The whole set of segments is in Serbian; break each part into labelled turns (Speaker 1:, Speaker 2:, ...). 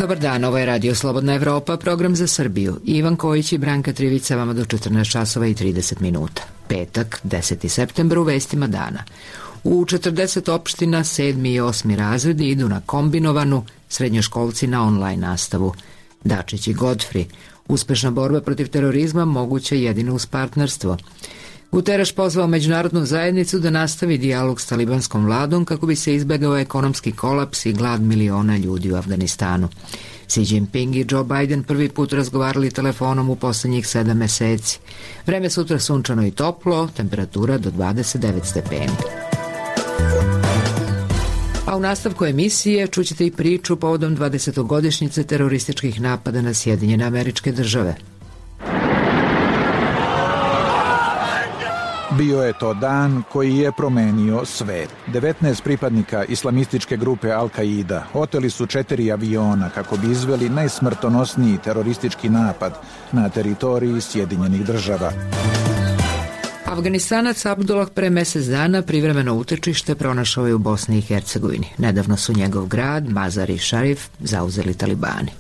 Speaker 1: Dobar dan, ovo je Radio Slobodna Evropa, program za Srbiju. Ivan Kojić i Branka Trivica vama do 14 časova i 30 minuta. Petak, 10. septembar, u vestima dana. U 40 opština 7. i 8. razredi idu na kombinovanu, srednjoškolci na online nastavu. Dačić i Godfrey. Uspešna borba protiv terorizma moguća jedino uz partnerstvo. Guterres pozvao međunarodnu zajednicu da nastavi dijalog s talibanskom vladom kako bi se izbegao ekonomski kolaps i glad miliona ljudi u Afganistanu. Xi Jinping i Joe Biden prvi put razgovarali telefonom u poslednjih 7 meseci. Vreme sutra sunčano i toplo, temperatura do 29 stepeni. A u nastavku emisije čućete i priču povodom 20-godišnjice terorističkih napada na Sjedinjene Američke Države.
Speaker 2: Bio je to dan koji je promenio svet. 19 pripadnika islamističke grupe Al-Qaida oteli su 4 aviona kako bi izveli najsmrtonosniji teroristički napad na teritoriji Sjedinjenih Država.
Speaker 1: Afganistanac Abdullah pre mesec dana privremeno utočište pronašao je u Bosni i Hercegovini. Nedavno su njegov grad, Mazar-i Sharif, zauzeli talibani.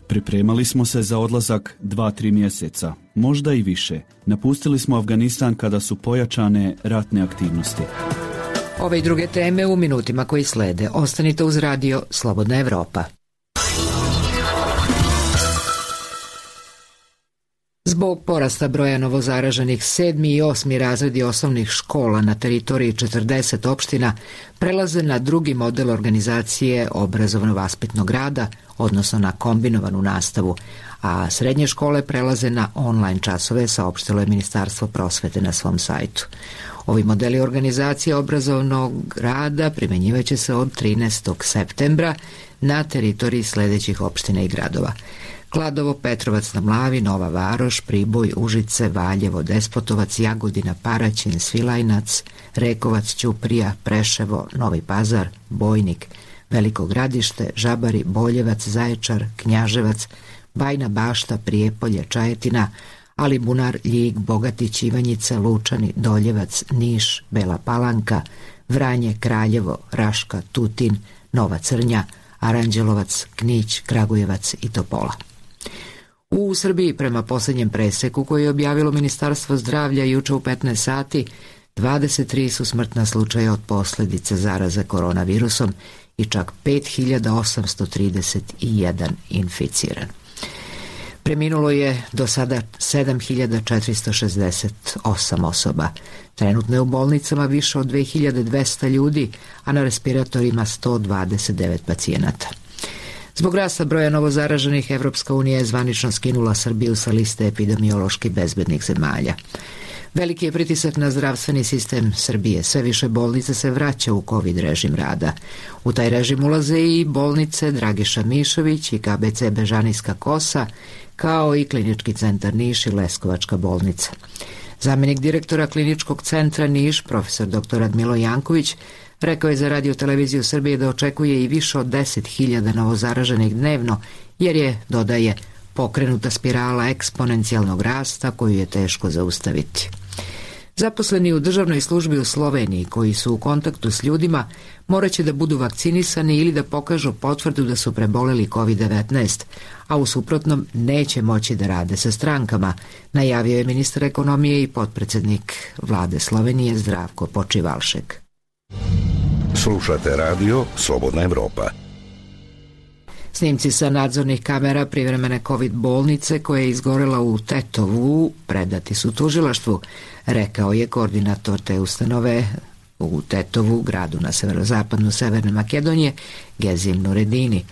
Speaker 3: Pripremali smo se za odlazak 2-3 mjeseca, možda i više. Napustili smo Afganistan kada su pojačane ratne aktivnosti.
Speaker 1: Ove i druge teme u minutima koji slede. Ostanite uz Radio Slobodna Evropa. Zbog porasta broja novozaraženih 7. i 8. razredi osnovnih škola na teritoriji 40 opština prelaze na drugi model organizacije obrazovno-vaspitnog rada, odnosno na kombinovanu nastavu, a srednje škole prelaze na online časove, saopštilo je Ministarstvo prosvete na svom sajtu. Ovi modeli organizacije obrazovnog rada primenjivaće se od 13. septembra na teritoriji sledećih opština i gradova: Kladovo, Petrovac na Mlavi, Nova Varoš, Priboj, Užice, Valjevo, Despotovac, Jagodina, Paraćin, Svilajnac, Rekovac, Ćuprija, Preševo, Novi Pazar, Bojnik, Veliko Gradište, Žabari, Boljevac, Zaječar, Knjaževac, Bajna Bašta, Prijepolje, Čajetina, Alibunar, Ljig, Bogatić, Ivanjica, Lučani, Doljevac, Niš, Bela Palanka, Vranje, Kraljevo, Raška, Tutin, Nova Crnja, Aranđelovac, Knić, Kragujevac i Topola. U Srbiji, prema posljednjem preseku koji je objavilo Ministarstvo zdravlja juče u 15 sati, 23 su smrtna slučaja od posljedice zaraze koronavirusom i čak 5831 inficiran. Preminulo je do sada 7468 osoba. Trenutno je u bolnicama više od 2200 ljudi, a na respiratorima 129 pacijenata. Zbog rasta broja novozaraženih, Evropska unija je zvanično skinula Srbiju sa liste epidemiološki bezbednih zemalja. Veliki je pritisak na zdravstveni sistem Srbije. Sve više bolnica se vraća u COVID režim rada. U taj režim ulaze i bolnice Dragiša Mišović i KBC Bežanijska Kosa, kao i Klinički centar Niš i Leskovačka bolnica. Zamenik direktora Kliničkog centra Niš, profesor dr. Radmilo Janković, rekao je za Radio Televiziju Srbije da očekuje i više od 10.000 novozaraženih dnevno, jer je, dodaje, pokrenuta spirala eksponencijalnog rasta koju je teško zaustaviti. Zaposleni u državnoj službi u Sloveniji koji su u kontaktu s ljudima morat će da budu vakcinisani ili da pokažu potvrdu da su preboleli COVID-19, a u suprotnom neće moći da rade sa strankama, najavio je ministar ekonomije i potpredsednik vlade Slovenije Zdravko Počivalšek.
Speaker 4: Slušate Radio Slobodna Evropa.
Speaker 1: Snimci sa nadzornih kamera privremene COVID bolnice koja je izgorela u Tetovu predati su tužilaštvu, rekao je koordinator te ustanove u Tetovu, gradu na severozapadnu Severne Makedonije, Gezim Nuredini.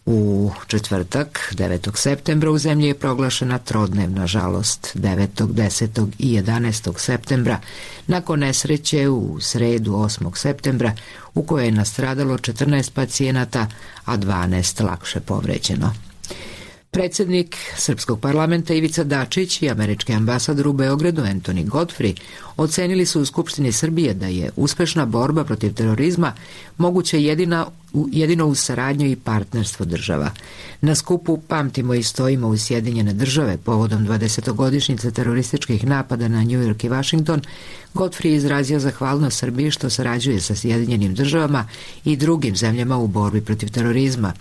Speaker 1: U četvrtak, 9. septembra, u zemlji je proglašena trodnevna žalost. 9., 10. i 11. septembra, nakon nesreće u sredu 8. septembra, u kojoj je nastradalo 14 pacijenata, a 12 lakše povređeno. Predsjednik Srpskog parlamenta Ivica Dačić i američki ambasador u Beogradu Anthony Godfrey ocenili su u Skupštini Srbije da je uspešna borba protiv terorizma moguća jedina jedino uz saradnju i partnerstvo država. Na skupu Pamtimo i stojimo uz Sjedinjene države povodom 20-godišnjice terorističkih napada na New York i Washington, Godfrey izrazio zahvalnost Srbiji što sarađuje sa Sjedinjenim državama i drugim zemljama u borbi protiv terorizma.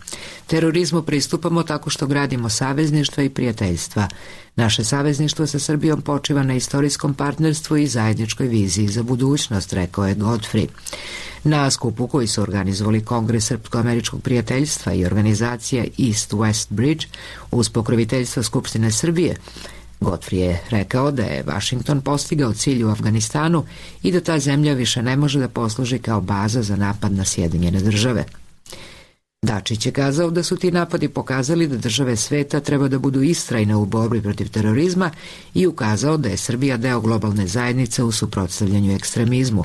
Speaker 1: Terorizmu pristupamo tako što gradimo savezništva i prijateljstva. Naše savezništvo sa Srbijom počiva na istorijskom partnerstvu i zajedničkoj viziji za budućnost, rekao je Godfrey. Na skupu koji su organizovali Kongres Srpsko-američkog prijateljstva i organizacija East-West Bridge uz pokroviteljstvo Skupštine Srbije, Godfrey je rekao da je Washington postigao cilj u Afganistanu i da ta zemlja više ne može da posluži kao baza za napad na Sjedinjene države. Dačić je kazao da su ti napadi pokazali da države sveta treba da budu istrajne u borbi protiv terorizma i ukazao da je Srbija deo globalne zajednice u suprotstavljanju ekstremizmu.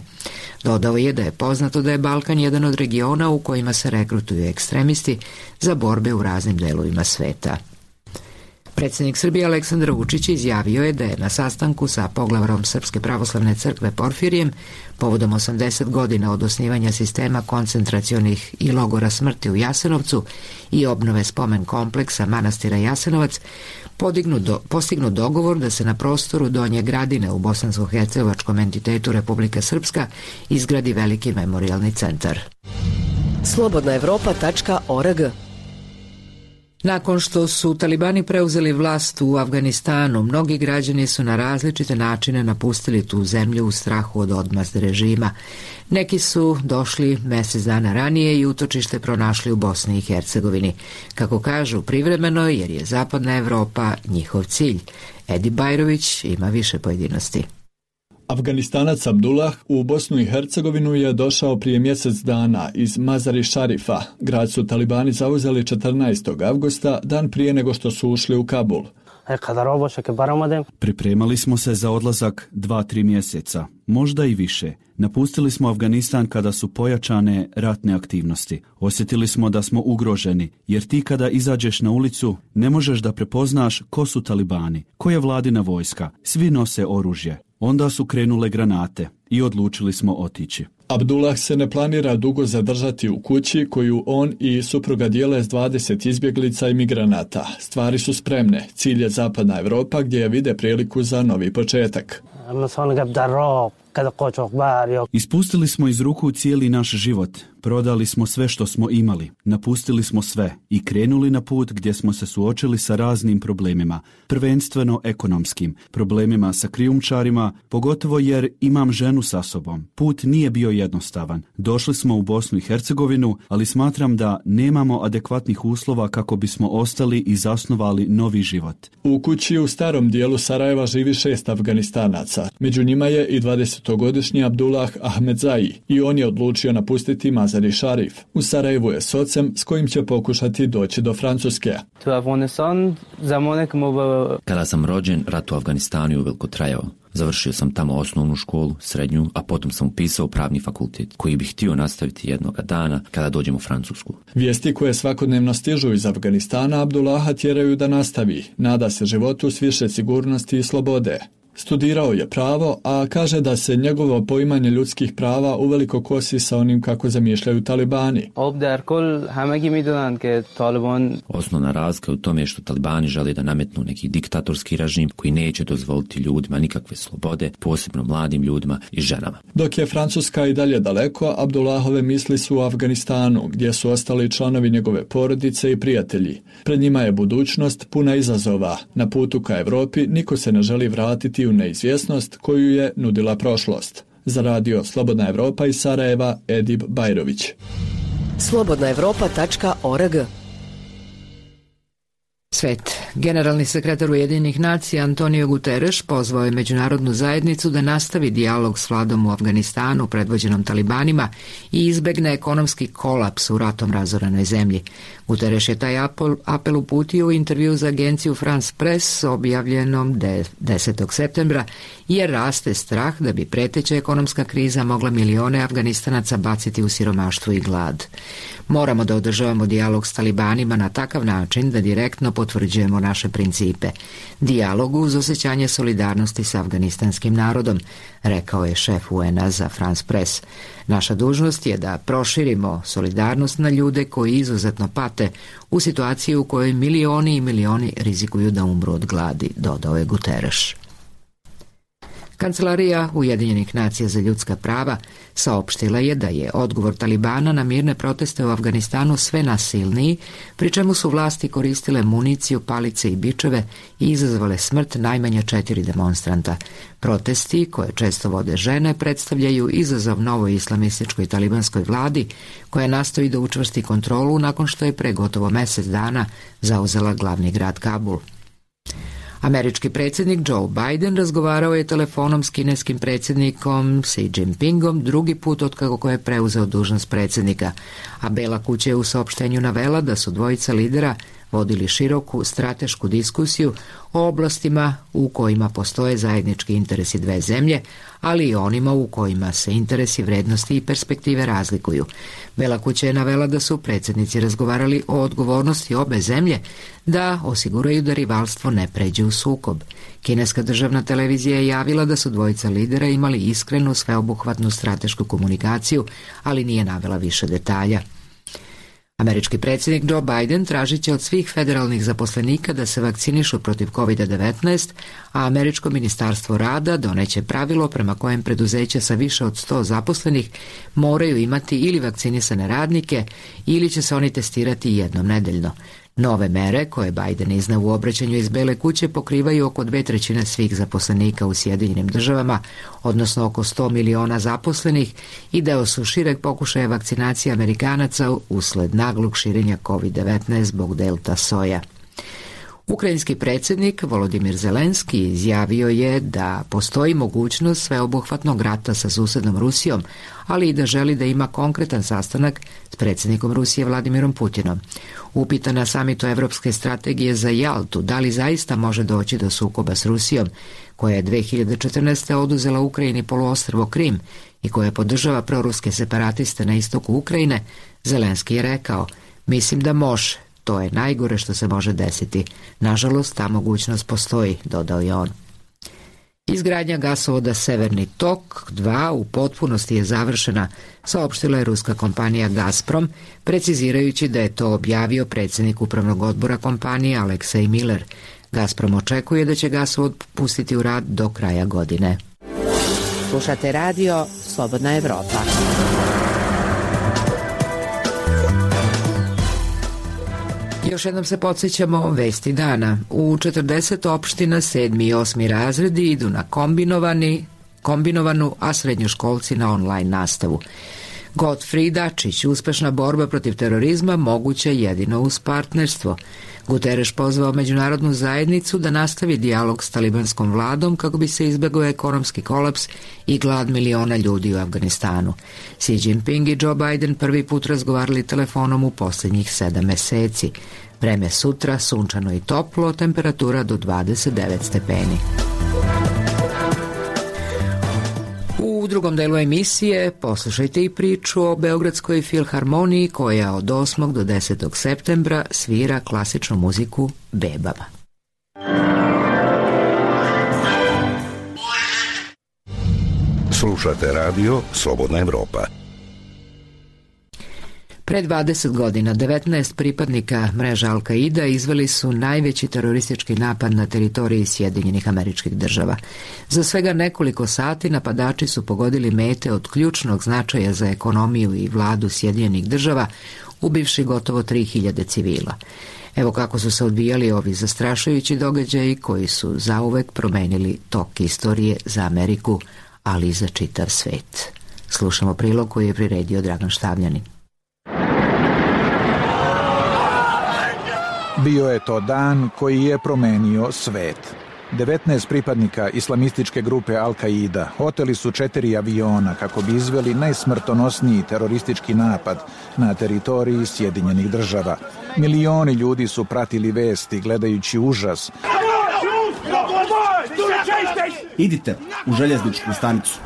Speaker 1: Dodao je da je poznato da je Balkan jedan od regiona u kojima se rekrutuju ekstremisti za borbe u raznim delovima sveta. Predsjednik Srbije Aleksandar Vučić izjavio je da je na sastanku sa poglavarom Srpske pravoslavne crkve Porfirijem povodom 80 godina od osnivanja sistema koncentracionih i logora smrti u Jasenovcu i obnove spomen kompleksa manastira Jasenovac postignut dogovor da se na prostoru Donje Gradine u bosansko-hercegovačkom entitetu Republika Srpska izgradi veliki memorijalni centar.
Speaker 5: Slobodnaevropa.org.
Speaker 1: Nakon što su talibani preuzeli vlast u Afganistanu, mnogi građani su na različite načine napustili tu zemlju u strahu od odmazde režima. Neki su došli mjesec dana ranije i utočište pronašli u Bosni i Hercegovini. Kako kažu, privremeno, jer je Zapadna Evropa njihov cilj. Edi Bajrović ima više pojedinosti.
Speaker 6: Afganistanac Abdullah u Bosnu i Hercegovinu je došao prije mjesec dana iz Mazari Šarifa. Grad su talibani zauzeli 14. avgusta, dan prije nego što su ušli u Kabul.
Speaker 3: Pripremali smo se za odlazak 2-3 mjeseca, možda i više. Napustili smo Afganistan kada su pojačane ratne aktivnosti. Osjetili smo da smo ugroženi, jer ti kada izađeš na ulicu ne možeš da prepoznaš ko su talibani, ko je vladina vojska, svi nose oružje. Onda su krenule granate i odlučili smo otići.
Speaker 6: Abdullah se ne planira dugo zadržati u kući koju on i supruga dijele s 20 izbjeglica i migranata. Stvari su spremne. Cilj je Zapadna Evropa gdje je vide priliku za novi početak.
Speaker 3: Ispustili smo iz ruku cijeli naš život, prodali smo sve što smo imali, napustili smo sve i krenuli na put gdje smo se suočili sa raznim problemima, prvenstveno ekonomskim, problemima sa krijumčarima, pogotovo jer imam ženu sa sobom. Put nije bio jednostavan. Došli smo u Bosnu i Hercegovinu, ali smatram da nemamo adekvatnih uslova kako bismo ostali i zasnovali novi život.
Speaker 6: U kući u starom dijelu Sarajeva živi 6 Afganistanaca. Među njima je i 20-godišnji Abdullah Ahmedzai i on je odlučio napustiti Mazari Šarif. U Sarajevu je s ocem s kojim će pokušati doći do Francuske.
Speaker 7: Kada sam rođen, rat u Afganistanu je uveliko trajao. Završio sam tamo osnovnu školu, srednju, a potom sam upisao pravni fakultet, koji bih htio nastaviti jednoga dana kada dođem u Francusku.
Speaker 6: Vijesti koje svakodnevno stižu iz Afganistana Abdullaha tjeraju da nastavi. Nada se životu s više sigurnosti i slobode. Studirao je pravo, a kaže da se njegovo poimanje ljudskih prava uveliko kosi sa onim kako zamišljaju talibani.
Speaker 7: Osnovna razlika je u tome što talibani žele da nametnu neki diktatorski režim koji neće dozvoliti ljudima nikakve slobode, posebno mladim ljudima i ženama.
Speaker 6: Dok je Francuska i dalje daleko, Abdullahove misli su u Afganistanu, gdje su ostali članovi njegove porodice i prijatelji. Pred njima je budućnost puna izazova. Na putu ka Evropi niko se ne želi vratiti u neizvjesnost koju je nudila prošlost. Za radio Slobodna Evropa iz Sarajeva, Edib Bajrović.
Speaker 5: Slobodnaevropa.org.
Speaker 1: Svet. Generalni sekretar Ujedinjenih nacija Antonio Guterres pozvao je međunarodnu zajednicu da nastavi dijalog s vladom u Afganistanu predvođenom talibanima i izbegne ekonomski kolaps u ratom razoranoj zemlji. Guterres je taj apel uputio u intervju za agenciju France Press objavljenom 10. septembra jer raste strah da bi preteća ekonomska kriza mogla milione Afganistanaca baciti u siromaštvo i glad. Moramo da održavamo dijalog s talibanima na takav način da direktno potvrđujemo naše principe. Dijalogu uz osjećanje solidarnosti s afganistanskim narodom, rekao je šef UN-a za France Press. Naša dužnost je da proširimo solidarnost na ljude koji izuzetno pate u situaciji u kojoj milioni i milioni rizikuju da umru od gladi, dodao je Guterres. Kancelarija Ujedinjenih nacija za ljudska prava saopštila je da je odgovor Talibana na mirne proteste u Afganistanu sve nasilniji, pri čemu su vlasti koristile municiju, palice i bičeve i izazvale smrt najmanje 4 demonstranta. Protesti, koje često vode žene, predstavljaju izazov novoj islamističkoj talibanskoj vladi, koja nastoji da učvrsti kontrolu nakon što je pre gotovo mesec dana zauzela glavni grad Kabul. Američki predsjednik Joe Biden razgovarao je telefonom s kineskim predsjednikom Xi Jinpingom drugi put otkako je preuzeo dužnost predsjednika, a Bela kuća je u saopštenju navela da su dvojica lidera vodili široku stratešku diskusiju o oblastima u kojima postoje zajednički interesi dve zemlje, ali i onima u kojima se interesi, vrednosti i perspektive razlikuju. Bela kuća je navela da su predsjednici razgovarali o odgovornosti obe zemlje da osiguraju da rivalstvo ne pređe u sukob. Kineska državna televizija je javila da su dvojica lidera imali iskrenu, sveobuhvatnu stratešku komunikaciju, ali nije navela više detalja. Američki predsjednik Joe Biden tražit će od svih federalnih zaposlenika da se vakcinišu protiv COVID-19, a Američko ministarstvo rada doneće pravilo prema kojem preduzeća sa više od 100 zaposlenih moraju imati ili vakcinisane radnike ili će se oni testirati jednom nedeljno. Nove mere, koje Biden izneo u obraćanju iz Bele kuće, pokrivaju oko 2/3 svih zaposlenika u Sjedinjenim državama, odnosno oko 100 miliona zaposlenih, i deo su šireg pokušaja vakcinacije Amerikanaca usled naglog širenja COVID-19 zbog delta soja. Ukrajinski predsjednik Volodimir Zelenski izjavio je da postoji mogućnost sveobuhvatnog rata sa susednom Rusijom, ali i da želi da ima konkretan sastanak s predsjednikom Rusije Vladimirom Putinom. Upitan na samitu Evropske strategije za Jaltu da li zaista može doći do sukoba s Rusijom, koja je 2014. oduzela Ukrajini poluostrvo Krim i koja podržava proruske separatiste na istoku Ukrajine, Zelenski je rekao: "Mislim da može. To je najgore što se može desiti. Nažalost, ta mogućnost postoji", dodao je on. Izgradnja gasovoda Severni tok 2 u potpunosti je završena, saopštila je ruska kompanija Gazprom, precizirajući da je to objavio predsjednik upravnog odbora kompanije Aleksej Miller. Gazprom očekuje da će gasovod pustiti u rad do kraja godine.
Speaker 5: Slušate radio Slobodna Evropa.
Speaker 1: Još jednom se podsjećamo vesti dana. U 40 opština 7. i 8. razredi idu na kombinovanu, a srednjoškolci na online nastavu. Godfrey Dačić: uspešna borba protiv terorizma moguća jedino uz partnerstvo. Guterres pozvao međunarodnu zajednicu da nastavi dijalog s talibanskom vladom kako bi se izbjegao ekonomski kolaps i glad miliona ljudi u Afganistanu. Xi Jinping i Joe Biden prvi put razgovarali telefonom u posljednjih 7 meseci. Vreme sutra sunčano i toplo, temperatura do 29 stepeni. U drugom delu emisije poslušajte i priču o Beogradskoj filharmoniji koja od 8. do 10. septembra svira klasičnu muziku bebama.
Speaker 4: Slušate radio Slobodna Evropa.
Speaker 1: Pre 20 godina 19 pripadnika mreža Al-Kaida izveli su najveći teroristički napad na teritoriji Sjedinjenih Američkih Država. Za svega nekoliko sati napadači su pogodili mete od ključnog značaja za ekonomiju i vladu Sjedinjenih Država, ubivši gotovo 3000 civila. Evo kako su se odvijali ovi zastrašujući događaji koji su zauvek promenili tok istorije za Ameriku, ali i za čitav svet. Slušamo prilog koji je priredio Dragan Štavljanin.
Speaker 2: Bio je to dan koji je promenio svet. 19 pripadnika islamističke grupe Al-Kaida oteli su 4 aviona kako bi izveli najsmrtonosniji teroristički napad na teritoriji Sjedinjenih Država. Milioni ljudi su pratili vesti gledajući užas.
Speaker 8: Idite u željezničku stanicu.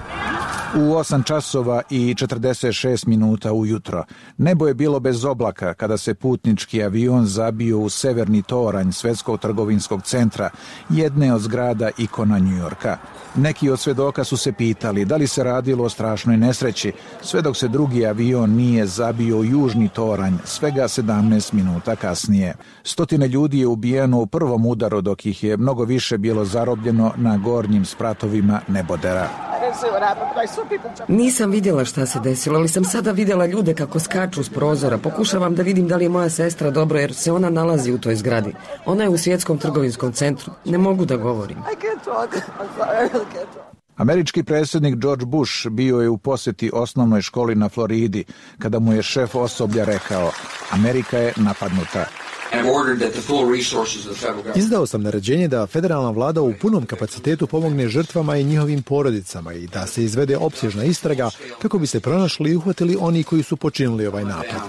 Speaker 2: U 8 časova i 46 minuta ujutro nebo je bilo bez oblaka kada se putnički avion zabio u severni toranj Svetskog trgovinskog centra, jedne od zgrada ikona Njujorka. Neki od svedoka su se pitali da li se radilo o strašnoj nesreći, sve dok se drugi avion nije zabio u južni toranj svega 17 minuta kasnije. Stotine ljudi je ubijeno u prvom udaru, dok ih je mnogo više bilo zarobljeno na gornjim spratovima nebodera.
Speaker 8: Nisam vidjela šta se desilo, ali sam sada vidjela ljude kako skaču s prozora. Pokušavam da vidim da li je moja sestra dobro, jer se ona nalazi u toj zgradi. Ona je u Svjetskom trgovinskom centru. Ne mogu da govorim.
Speaker 2: Američki predsjednik George Bush bio je u posjeti osnovnoj školi na Floridi kada mu je šef osoblja rekao: Amerika je napadnuta.
Speaker 9: Izdao sam naređenje da federalna vlada u punom kapacitetu pomogne žrtvama i njihovim porodicama i da se izvede opsežna istraga kako bi se pronašli i uhvatili oni koji su počinili ovaj napad.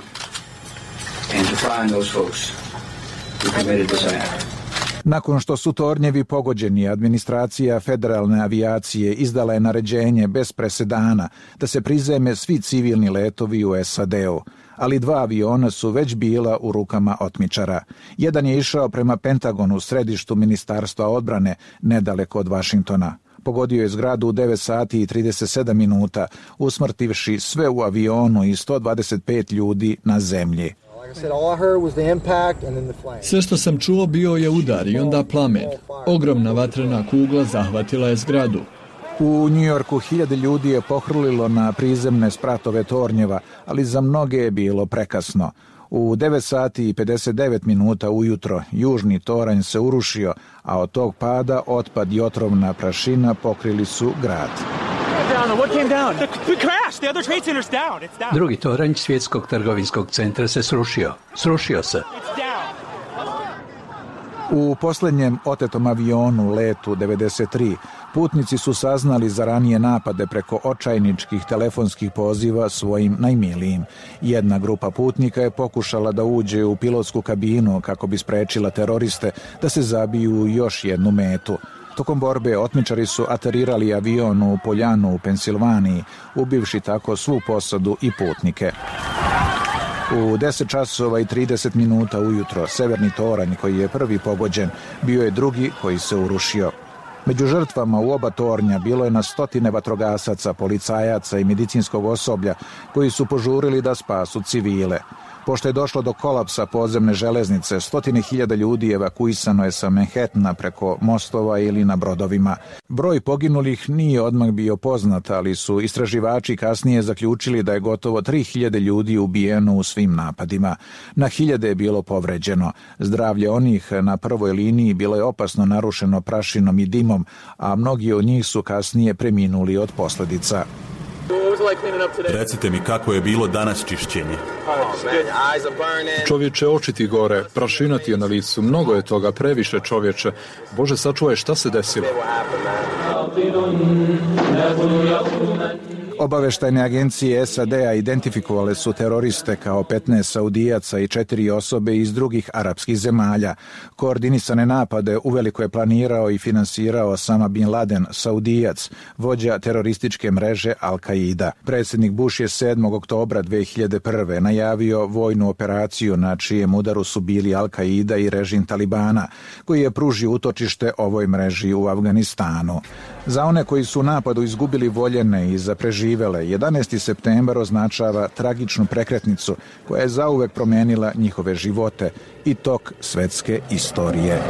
Speaker 2: Nakon što su tornjevi pogođeni, administracija federalne avijacije izdala je naređenje bez presedana da se prizeme svi civilni letovi u SAD-u, ali 2 aviona su već bila u rukama otmičara. Jedan je išao prema Pentagonu u središtu Ministarstva odbrane, nedaleko od Vašingtona. Pogodio je zgradu u 9 sati i 37 minuta, usmrtivši sve u avionu i 125 ljudi na zemlji.
Speaker 6: Sve što sam čuo bio je udar i onda plamen. Ogromna vatrena kugla zahvatila je zgradu.
Speaker 2: U Njujorku 1000 ljudi je pohrlilo na prizemne spratove tornjeva, ali za mnoge je bilo prekasno. U 9 sati i 59 minuta ujutro južni toranj se urušio, a od tog pada otpad i otrovna prašina pokrili su grad.
Speaker 10: Drugi toranj Svjetskog trgovinskog centra se srušio. Srušio se.
Speaker 2: U posljednjem otetom avionu, letu 93, putnici su saznali za ranije napade preko očajničkih telefonskih poziva svojim najmilijim. Jedna grupa putnika je pokušala da uđe u pilotsku kabinu kako bi sprečila teroriste da se zabiju u još jednu metu. Tokom borbe otmičari su aterirali avion u Poljanu u Pensilvaniji, ubivši tako svu posadu i putnike. U 10 časova i 30 minuta ujutro severni toranj, koji je prvi pogođen, bio je drugi koji se urušio. Među žrtvama u oba tornja bilo je na stotine vatrogasaca, policajaca i medicinskog osoblja koji su požurili da spasu civile. Pošto je došlo do kolapsa podzemne železnice, stotine hiljada ljudi evakuisano je sa Manhattana preko mostova ili na brodovima. Broj poginulih nije odmah bio poznat, ali su istraživači kasnije zaključili da je gotovo 3000 ljudi ubijeno u svim napadima. Na hiljade je bilo povređeno. Zdravlje onih na prvoj liniji bilo je opasno narušeno prašinom i dimom, a mnogi od njih su kasnije preminuli od posljedica.
Speaker 11: Recite mi kako je bilo danas čišćenje.
Speaker 12: Čovječe, oči ti gore, prašina ti je na licu, mnogo je toga, previše čovječe. Bože, sačuvaj, šta se desilo?
Speaker 2: Obaveštajne agencije SAD-a identifikovale su teroriste kao 15 Saudijaca i 4 osobe iz drugih arapskih zemalja. Koordinisane napade uveliko je planirao i finansirao Osama bin Laden, Saudijac, vođa terorističke mreže Al-Qaida. Predsjednik Bush je 7. oktobra 2001. najavio vojnu operaciju na čijem udaru su bili Al-Qaida i režim Talibana, koji je pružio utočište ovoj mreži u Afganistanu. Za one koji su u napadu izgubili voljene i za preživele, 11. septembar označava tragičnu prekretnicu koja je zauvek promenila njihove živote i tok svetske istorije.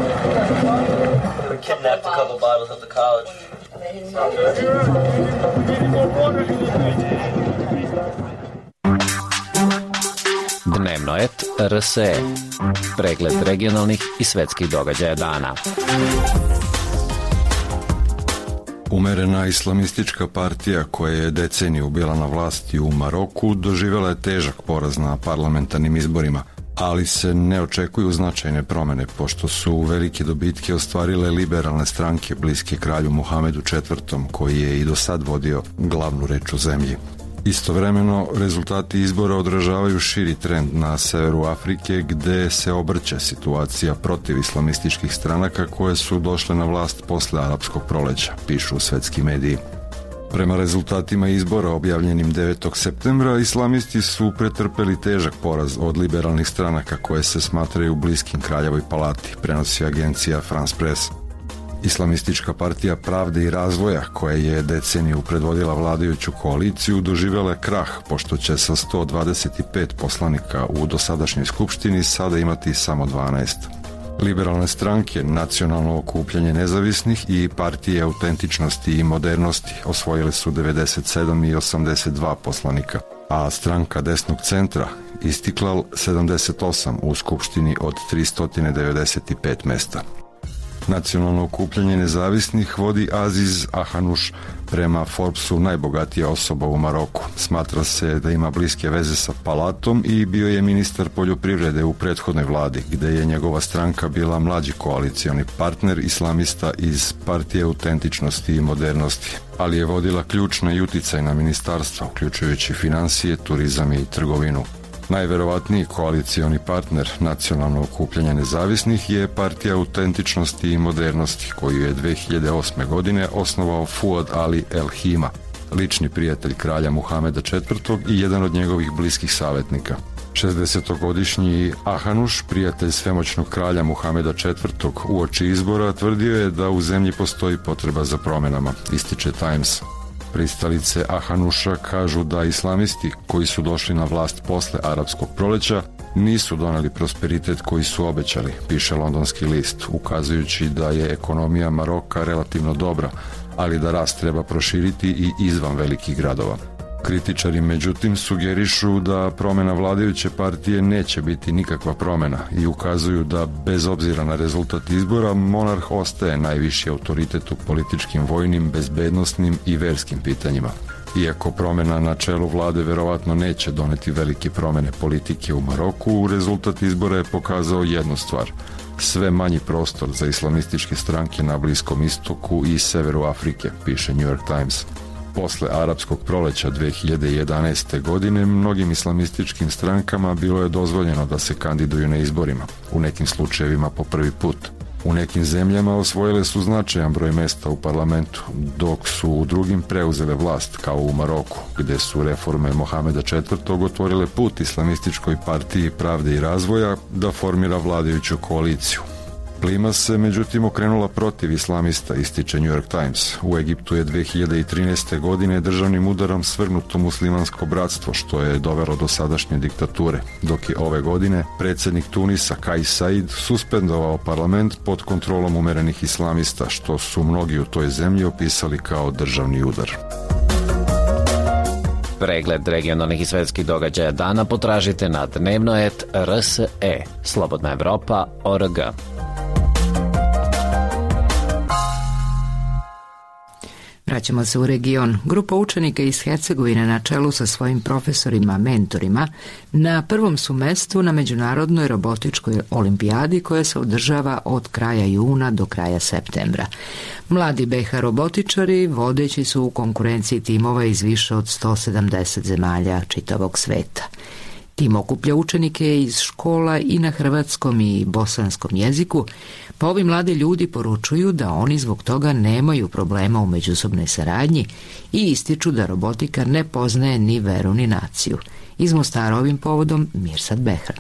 Speaker 13: Dnevno et RSE. Pregled regionalnih i svetskih događaja dana.
Speaker 14: Umerena islamistička partija koja je deceniju bila na vlasti u Maroku doživjela je težak poraz na parlamentarnim izborima, ali se ne očekuju značajne promjene pošto su velike dobitke ostvarile liberalne stranke bliske kralju Muhamedu IV, koji je i do sad vodio glavnu reč u zemlji. Istovremeno, rezultati izbora odražavaju širi trend na severu Afrike gde se obrće situacija protiv islamističkih stranaka koje su došle na vlast posle arapskog proleća, pišu svetski mediji. Prema rezultatima izbora objavljenim 9. septembra, islamisti su pretrpeli težak poraz od liberalnih stranaka koje se smatraju bliskim Kraljevoj palati, prenosi agencija France Press. Islamistička partija Pravde i razvoja, koja je deceniju predvodila vladajuću koaliciju, doživjela je krah, pošto će sa 125 poslanika u dosadašnjoj skupštini sada imati samo 12. Liberalne stranke, Nacionalno okupljanje nezavisnih i partije autentičnosti i modernosti osvojili su 97 i 82 poslanika, a stranka desnog centra Istiklal 78 u skupštini od 395 mesta. Nacionalno okupljanje nezavisnih vodi Aziz Ahanuš, prema Forbesu najbogatija osoba u Maroku. Smatra se da ima bliske veze sa palatom i bio je ministar poljoprivrede u prethodnoj vladi, gde je njegova stranka bila mlađi koalicioni partner islamista iz partije autentičnosti i modernosti, ali je vodila ključna i uticajna ministarstva, uključujući financije, turizam i trgovinu. Najverovatniji koalicioni partner Nacionalno okupljanje nezavisnih je partija autentičnosti i modernosti, koju je 2008. godine osnovao Fuad Ali El Hima, lični prijatelj kralja Muhameda IV. I jedan od njegovih bliskih savjetnika. 60-godišnji Ahanuš, prijatelj svemoćnog kralja Muhameda IV. Uoči izbora tvrdio je da u zemlji postoji potreba za promjenama, ističe Times. Pristalice Ahanuša kažu da islamisti koji su došli na vlast posle arapskog proleća nisu doneli prosperitet koji su obećali, piše londonski list, ukazujući da je ekonomija Maroka relativno dobra, ali da rast treba proširiti i izvan velikih gradova. Kritičari međutim sugerišu da promjena vladajuće partije neće biti nikakva promjena i ukazuju da bez obzira na rezultat izbora monarh ostaje najviši autoritet u političkim, vojnim, bezbednosnim i verskim pitanjima. Iako promjena na čelu vlade verovatno neće doneti velike promjene politike u Maroku, rezultat izbora je pokazao jednu stvar: sve manji prostor za islamističke stranke na Bliskom istoku i severu Afrike, piše New York Times. Posle arapskog proleća 2011. godine mnogim islamističkim strankama bilo je dozvoljeno da se kandiduju na izborima, u nekim slučajevima po prvi put. U nekim zemljama osvojile su značajan broj mesta u parlamentu, dok su u drugim preuzele vlast, kao u Maroku, gde su reforme Mohameda IV. Otvorile put islamističkoj partiji Pravde i razvoja da formira vladajuću koaliciju. Plima se međutim okrenula protiv islamista, ističe New York Times. U Egiptu je 2013. godine državnim udarom svrgnuto muslimansko bratstvo, što je dovelo do sadašnje diktature, dok je ove godine predsjednik Tunisa Kais Saied suspendovao parlament pod kontrolom umerenih islamista, što su mnogi u toj zemlji opisali kao državni udar.
Speaker 13: Pregled regionalnih i svetskih događaja dana potražite na dnevnoet.rse, slobodnaevropa.org.
Speaker 1: Vraćamo se u region. Grupa učenika iz Hercegovine na čelu sa svojim profesorima, mentorima, na prvom su mestu na Međunarodnoj robotičkoj olimpijadi koja se održava od kraja juna do kraja septembra. Mladi BiH robotičari vodeći su u konkurenciji timova iz više od 170 zemalja čitavog sveta. Tim okuplja učenike iz škola i na hrvatskom i bosanskom jeziku, pa ovi mladi ljudi poručuju da oni zbog toga nemaju problema u međusobnoj saradnji i ističu da robotika ne poznaje ni veru ni naciju. Iz Mostara ovim povodom Mirsad Behran.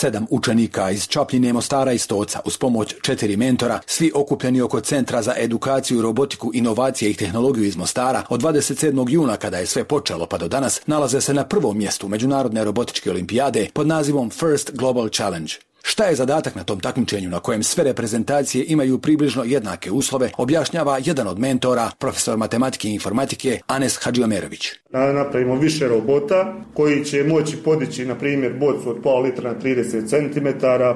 Speaker 15: 7 učenika iz Čapljine, Mostara i Stoca uz pomoć 4 mentora, svi okupljeni oko Centra za edukaciju, robotiku, inovacije i tehnologiju iz Mostara, od 27. juna kada je sve počelo pa do danas, nalaze se na prvom mjestu Međunarodne robotičke olimpijade pod nazivom First Global Challenge. Šta je zadatak na tom takmičenju na kojem sve reprezentacije imaju približno jednake uslove, objašnjava jedan od mentora, profesor matematike i informatike Anes Hadžiomerović.
Speaker 16: Napravimo više robota koji će moći podići, na primjer, bocu od pola litra na 30 cm,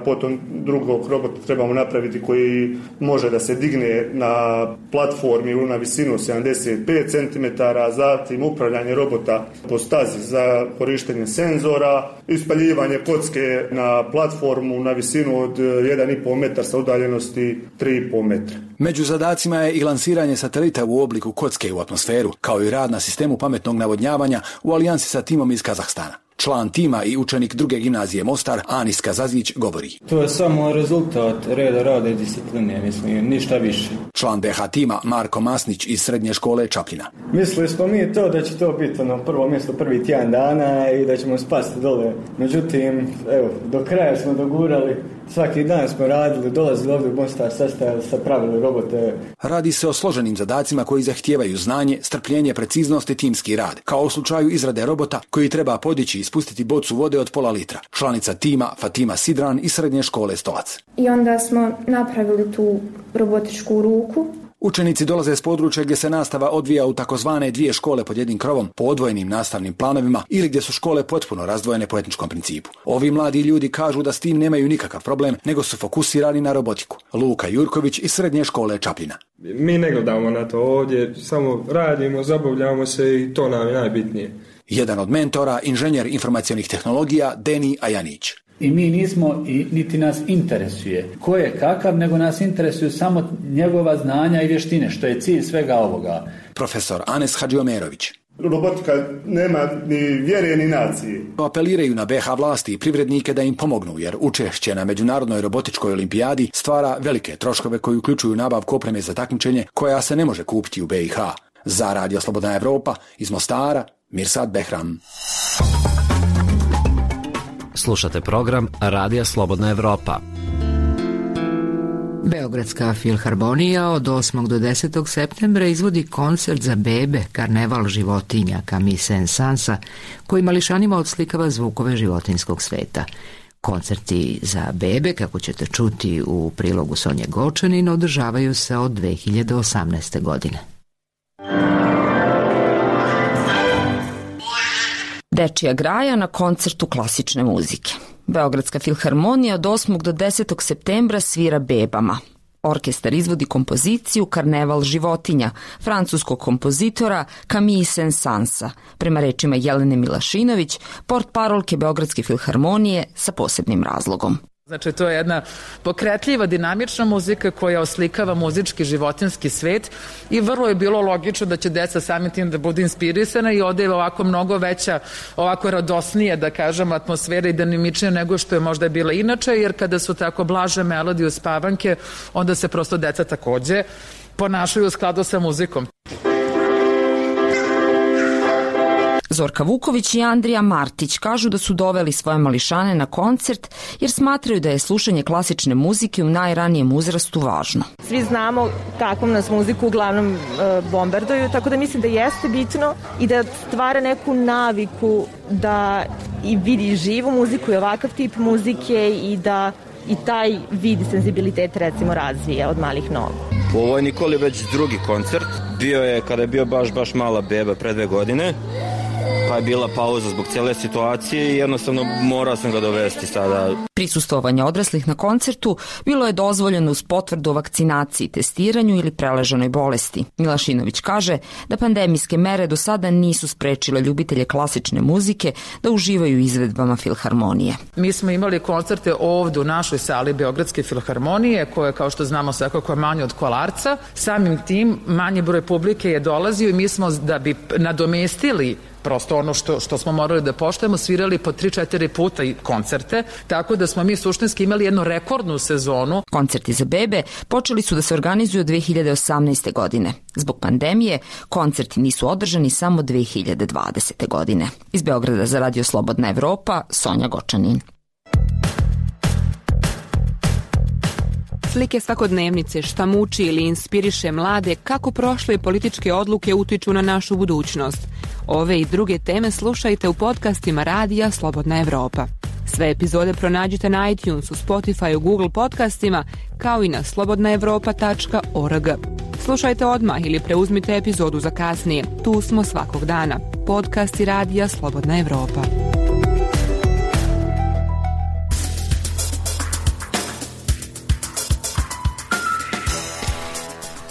Speaker 16: potom drugog robota trebamo napraviti koji može da se digne na platformi na visinu 75 cm, zatim upravljanje robota po stazi za korištenje senzora, ispaljivanje kocke na platformu na visinu od 1,5 metra sa udaljenosti 3,5 metra.
Speaker 15: Među zadacima je i lansiranje satelita u obliku kocke u atmosferu, kao i rad na sistemu pametnog navodnjavanja u alijansi sa timom iz Kazahstana. Član tima i učenik druge gimnazije Mostar, Anis Kazazić, govori.
Speaker 17: To je samo rezultat reda, rada i discipline, mislim, ništa više.
Speaker 15: Član BH tima Marko Masnić iz srednje škole Čapljina.
Speaker 17: Mislili smo mi to da će to biti prvo mjesto prvi tjedan dana i da ćemo spasti dole. Međutim, do kraja smo dogurali. Svaki dan smo radili, dolazili ovdje u Mostar, sastajali, pravili robote.
Speaker 15: Radi se o složenim zadacima koji zahtijevaju znanje, strpljenje, preciznost i timski rad, kao u slučaju izrade robota koji treba podići i spustiti bocu vode od pola litra. Članica tima Fatima Sidran iz srednje škole Stolac.
Speaker 18: I onda smo napravili tu robotičku ruku.
Speaker 15: Učenici dolaze s područja gdje se nastava odvija u takozvane 2 škole pod jednim krovom po odvojenim nastavnim planovima ili gdje su škole potpuno razdvojene po etničkom principu. Ovi mladi ljudi kažu da s tim nemaju nikakav problem, nego su fokusirani na robotiku. Luka Jurković iz srednje škole Čapljina.
Speaker 19: Mi ne gledamo na to ovdje, samo radimo, zabavljamo se i to nam je najbitnije.
Speaker 15: Jedan od mentora, inženjer informacionih tehnologija Deni Ajanić.
Speaker 20: I mi nismo i niti nas interesuje ko je kakav, nego nas interesuju samo njegova znanja i vještine, što je cilj svega ovoga.
Speaker 15: Profesor Anes Hadžiomerović.
Speaker 16: Robotika nema ni vjere ni nacije.
Speaker 15: Apeliraju na BH vlasti i privrednike da im pomognu, jer učešće na Međunarodnoj robotičkoj olimpijadi stvara velike troškove koji uključuju nabavku opreme za takmičenje koja se ne može kupiti u BiH. Za Radio Slobodna Evropa iz Mostara, Mirsad Behram.
Speaker 13: Slušate program Radija Slobodna Evropa.
Speaker 1: Beogradska filharmonija od 8. do 10. septembra izvodi koncert za bebe Karneval životinja Camille Saint-Sansa, koji mališanima odslikava zvukove životinjskog sveta. Koncerti za bebe, kako ćete čuti u prilogu Sonje Gočanin, održavaju se od 2018. godine.
Speaker 21: Dečija graja na koncertu klasične muzike. Beogradska filharmonija od 8. do 10. septembra svira bebama. Orkestar izvodi kompoziciju Karneval životinja francuskog kompozitora Camille Saint-Sansa, prema rečima Jelene Milašinović, portparolke Beogradske filharmonije sa posebnim razlogom.
Speaker 22: Znači, to je jedna pokretljiva, dinamična muzika koja oslikava muzički životinjski svet i vrlo je bilo logično da će deca samim tim da budu inspirisana i ode ovako mnogo veća, ovako radosnije, da kažem, atmosfera i dinamičnija nego što je možda bila inače, jer kada su tako blaže melodije uspavanke, onda se prosto deca takođe ponašaju u skladu sa muzikom.
Speaker 21: Zorka Vuković i Andrija Martić kažu da su doveli svoje mališane na koncert jer smatraju da je slušanje klasične muzike u najranijem uzrastu važno.
Speaker 23: Svi znamo kakvom nas muziku uglavnom bombarduju, tako da mislim da jeste bitno i da stvara neku naviku da i vidi živu muziku i ovakav tip muzike i da i taj vid senzibilitet recimo razvija od malih nogu.
Speaker 24: Ovo je Nikoli već drugi koncert. Bio je kada je bio baš mala beba pre 2 godine. Pa je bila pauza zbog cijele situacije i jednostavno morao sam ga dovesti sada.
Speaker 21: Prisustvovanje odraslih na koncertu bilo je dozvoljeno uz potvrdu o vakcinaciji, testiranju ili preležanoj bolesti. Milašinović kaže da pandemijske mere do sada nisu sprečile ljubitelje klasične muzike da uživaju izvedbama filharmonije.
Speaker 22: Mi smo imali koncerte ovdje u našoj sali Beogradske filharmonije, koje kao što znamo svakako je manje od Kolarca. Samim tim manji broj publike je dolazio i mi smo da bi nadomestili prosto ono što smo morali da poštujemo, svirali po 3-4 puta i koncerte, tako da smo mi suštinski imali jednu rekordnu sezonu.
Speaker 21: Koncerti za bebe počeli su da se organizuju od 2018. godine. Zbog pandemije, koncerti nisu održani samo 2020. godine. Iz Beograda za Radio Slobodna Evropa, Sonja Gočanin.
Speaker 25: Slike svakodnevnice, šta muči ili inspiriše mlade, kako prošle političke odluke utiču na našu budućnost. Ove i druge teme slušajte u podcastima Radija Slobodna Evropa. Sve epizode pronađite na iTunesu, Spotify, Google podcastima, kao i na slobodnaevropa.org. Slušajte odmah ili preuzmite epizodu za kasnije. Tu smo svakog dana. Podcasti Radija Slobodna Evropa.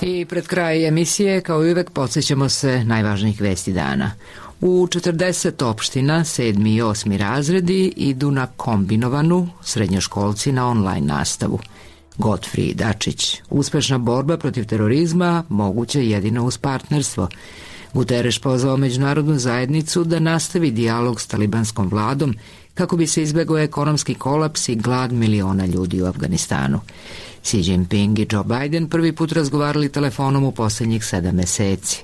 Speaker 1: I pred kraj emisije, kao i uvek, podsjećamo se najvažnijih vesti dana. U 40 opština 7. i 8. razredi idu na kombinovanu, srednjoškolci na online nastavu. Godfrij Dačić, uspešna borba protiv terorizma moguća jedino uz partnerstvo. Guterres pozvao međunarodnu zajednicu da nastavi dijalog s talibanskom vladom kako bi se izbegao ekonomski kolaps i glad miliona ljudi u Afganistanu. Xi Jinping i Joe Biden prvi put razgovarali telefonom u posljednjih 7 meseci.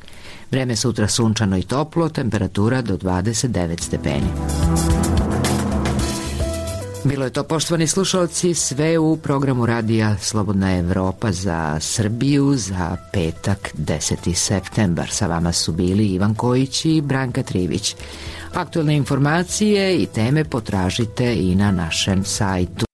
Speaker 1: Vreme sutra sunčano i toplo, temperatura do 29 stepeni. Bilo je to, poštovani slušalci, sve u programu radija Slobodna Evropa za Srbiju za petak 10. septembar. Sa vama su bili Ivan Kojić i Branka Trivić. Aktualne informacije i teme potražite i na našem sajtu.